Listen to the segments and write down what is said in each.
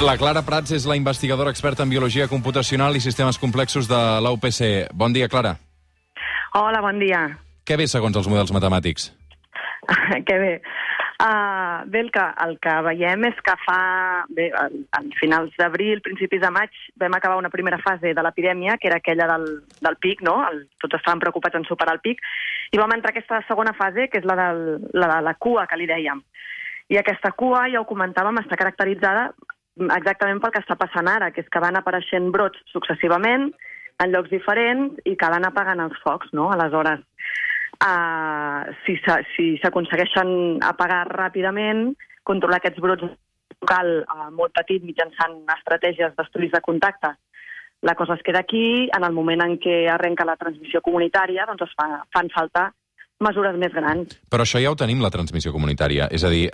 La Clara Prats és la investigadora experta en biologia computacional i sistemes complexos de la UPC. Bon dia, Clara. Hola, bon dia. Què ve segons els models matemàtics? Que bé. Bé, el que veiem és que a finals d'abril, principis de maig, vam acabar una primera fase de l'epidèmia, que era aquella del pic, no? Tots estaven preocupats en superar el pic, i vam entrar a aquesta segona fase, que és la de la cua, que li dèiem. I aquesta cua, ja ho comentàvem, està caracteritzada exactament pel que està passant ara, que és que van apareixent brots successivament en llocs diferents i que van apagant els focs, no? Aleshores, si s'aconsegueixen apagar ràpidament, controlar aquests brots local molt petit mitjançant estratègies d'estudis de contacte, la cosa es queda aquí. En el moment en què arrenca la transmissió comunitària, doncs es fan falta mesures més grans. Però això ja ho tenim, la transmissió comunitària. És a dir,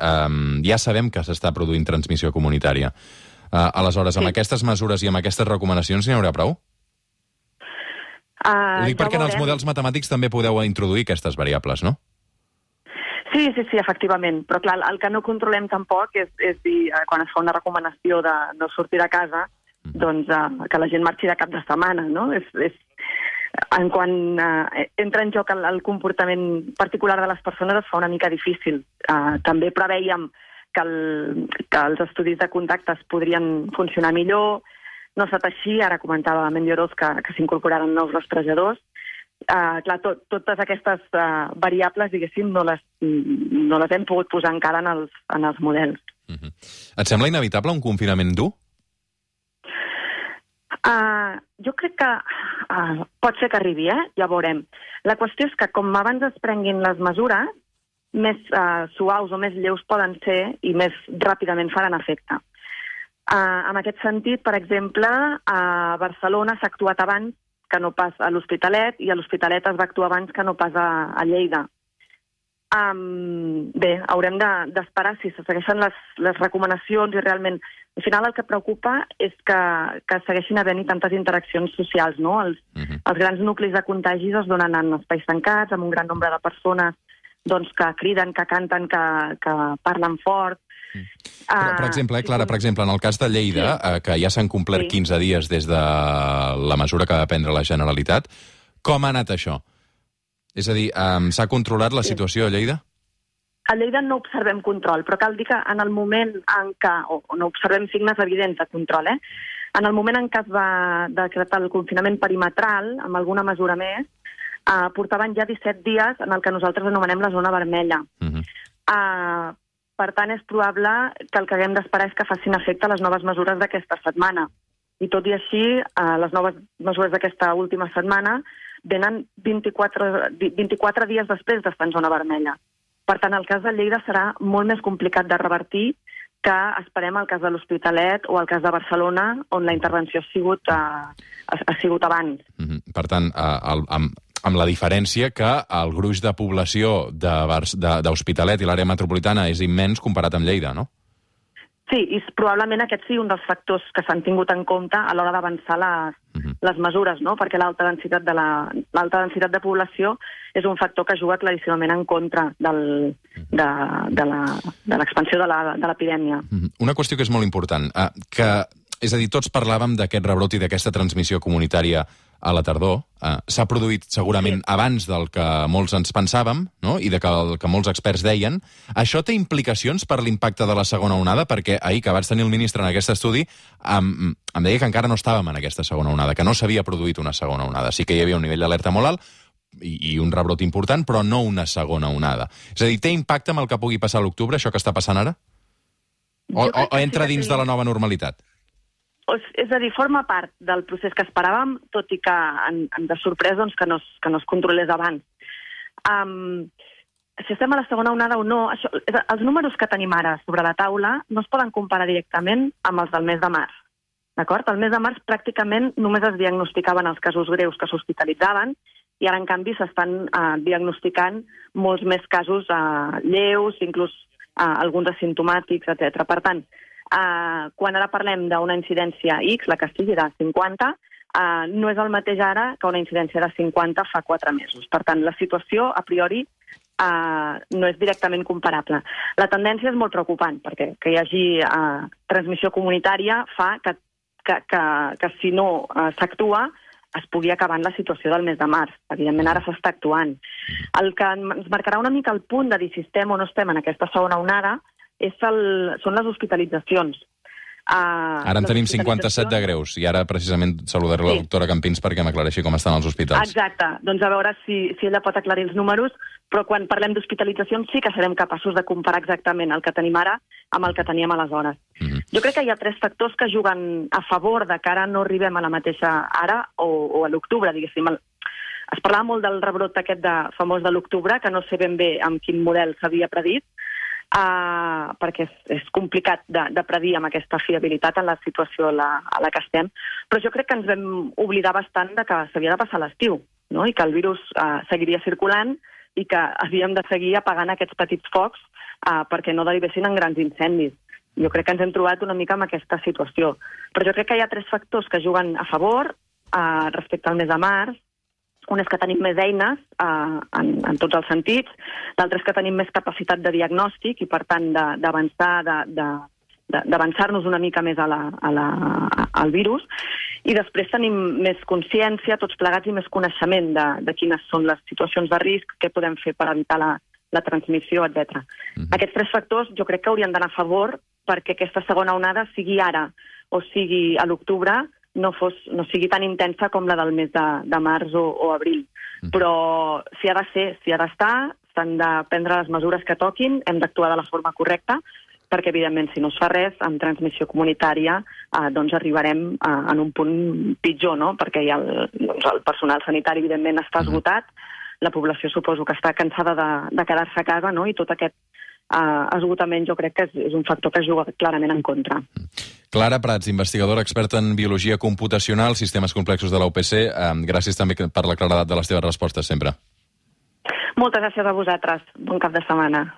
ja sabem que s'està produint transmissió comunitària. Aleshores, amb aquestes mesures i amb aquestes recomanacions n'hi haurà prou? Ho dic perquè en els models matemàtics també podeu introduir aquestes variables, no? Sí, efectivament. Però clar, el que no controlem tampoc és dir, quan es fa una recomanació de no sortir de casa, doncs que la gent marxi de cap de setmana, no? Quan entra en joc el comportament particular de les persones es fa una mica difícil. També preveiem que els estudis de contactes podrien funcionar millor. No ha estat així, ara comentava Mendioroz que s'incorporaran nous rastrejadors. Clar, totes aquestes variables, diguéssim, no les hem pogut posar encara en els models. Et sembla inevitable un confinament dur? Jo crec que pot ser que arribi, ja veurem. La qüestió és que com abans es prenguin les mesures, més suaus o més lleus poden ser i més ràpidament faran efecte. En aquest sentit, per exemple, a Barcelona s'ha actuat abans que no pas a l'Hospitalet, i a l'Hospitalet es va actuar abans que no pas a Lleida. Bé, haurem d'esperar si se segueixen les recomanacions i realment... Al final el que preocupa és que segueixin havent-hi tantes interaccions socials, no? Els grans nuclis de contagis es donen en espais tancats, amb un gran nombre de persones doncs, que criden, que canten, que parlen fort. Però, per exemple, Clara, en el cas de Lleida, que ja s'han complert 15 dies des de la mesura que va prendre la Generalitat, com ha anat això? És a dir, s'ha controlat la situació a Lleida? A Lleida no observem control, però cal dir que en el moment en què, o no observem signes evidents de control, en el moment en què es va decretar el confinament perimetral, amb alguna mesura més, portaven ja 17 dies en el que nosaltres anomenem la zona vermella. Per tant, és probable que el que haguem d'esperar és que facin efecte les noves mesures d'aquesta setmana. I tot i així, les noves mesures d'aquesta última setmana venen 24 dies després d'estar en zona vermella. Per tant, el cas de Lleida serà molt més complicat de revertir que esperem el cas de l'Hospitalet o el cas de Barcelona, on la intervenció ha sigut abans. Per tant, amb la diferència que el gruix de població d'Hospitalet i l'àrea metropolitana és immens comparat amb Lleida, no? Sí, i probablement aquest sigui un dels factors que s'han tingut en compte a l'hora d'avançar les mesures, no? Perquè l'alta densitat de població és un factor que juga claríssimament en contra de l'expansió de l'epidèmia. Una qüestió que és molt important, és a dir, tots parlàvem d'aquest rebrot i d'aquesta transmissió comunitària a la tardor. S'ha produït segurament abans del que molts ens pensàvem, no? I del que molts experts deien. Això té implicacions per l'impacte de la segona onada? Perquè ahir, que vaig tenir el ministre en aquest estudi, em deia que encara no estàvem en aquesta segona onada, que no s'havia produït una segona onada. Sí que hi havia un nivell d'alerta molt alt i un rebrot important, però no una segona onada. És a dir, té impacte amb el que pugui passar a l'octubre, això que està passant ara? O entra dins de la nova normalitat? És a dir, forma part del procés que esperàvem, tot i que ens ha sorprès que no es controlés abans. Si estem a la segona onada o no, els números que tenim ara sobre la taula no es poden comparar directament amb els del mes de març. D'acord? El mes de març pràcticament només es diagnosticaven els casos greus que s'hospitalitzaven i ara, en canvi, s'estan diagnosticant molts més casos lleus, inclús alguns asimptomàtics, etc. Per tant, quan ara parlem d'una incidència X, la que sigui de 50, no és el mateix ara que una incidència de 50 fa 4 mesos. Per tant, la situació, a priori, no és directament comparable. La tendència és molt preocupant, perquè que hi hagi transmissió comunitària fa que si no s'actua es pugui acabar en la situació del mes de març. Evidentment, ara s'està actuant. El que ens marcarà una mica el punt de dir si estem o no estem en aquesta segona onada són les hospitalitzacions. Ara en tenim 57 de greus, i ara precisament saludaré la doctora Campins perquè m'aclareixi com estan els hospitals. Exacte, doncs a veure si ella pot aclarir els números, però quan parlem d'hospitalitzacions sí que serem capaços de comparar exactament el que tenim ara amb el que teníem aleshores. Jo crec que hi ha 3 factors que juguen a favor de que ara no arribem a la mateixa ara o a l'octubre, diguéssim. Es parlava molt del rebrot aquest famós de l'octubre, que no sé ben bé amb quin model s'havia predit, perquè és complicat de predir amb aquesta fiabilitat en la situació a la que estem, però jo crec que ens vam oblidar bastant de que s'havia de passar l'estiu, no? I que el virus seguiria circulant i que havíem de seguir apagant aquests petits focs perquè no derivessin en grans incendis. Jo crec que ens hem trobat una mica en aquesta situació. Però jo crec que hi ha 3 factors que juguen a favor respecte al mes de març. Un és que tenim més eines en tots els sentits, l'altre és que tenim més capacitat de diagnòstic i, per tant, d'avançar-nos una mica més al virus. I després tenim més consciència, tots plegats, i més coneixement de quines són les situacions de risc, què podem fer per evitar la transmissió, etc. Aquests 3 factors jo crec que haurien d'anar a favor perquè aquesta segona onada, sigui ara o sigui a l'octubre, no sigui tan intensa com la del mes de març o abril. Però si ha de ser, si ha d'estar, s'han de prendre les mesures que toquin, hem d'actuar de la forma correcta, perquè, evidentment, si no es fa res, amb transmissió comunitària, doncs arribarem en un punt pitjor, no? Perquè ja el personal sanitari, evidentment, està esgotat, la població suposo que està cansada de quedar-se a casa, no? I tot aquest esgotament jo crec que és un factor que juga clarament en contra. Clara Prats, investigadora experta en biologia computacional, sistemes complexos de la UPC. Gràcies també per la claredat de les teves respostes sempre. Moltes gràcies a vosaltres. Bon cap de setmana.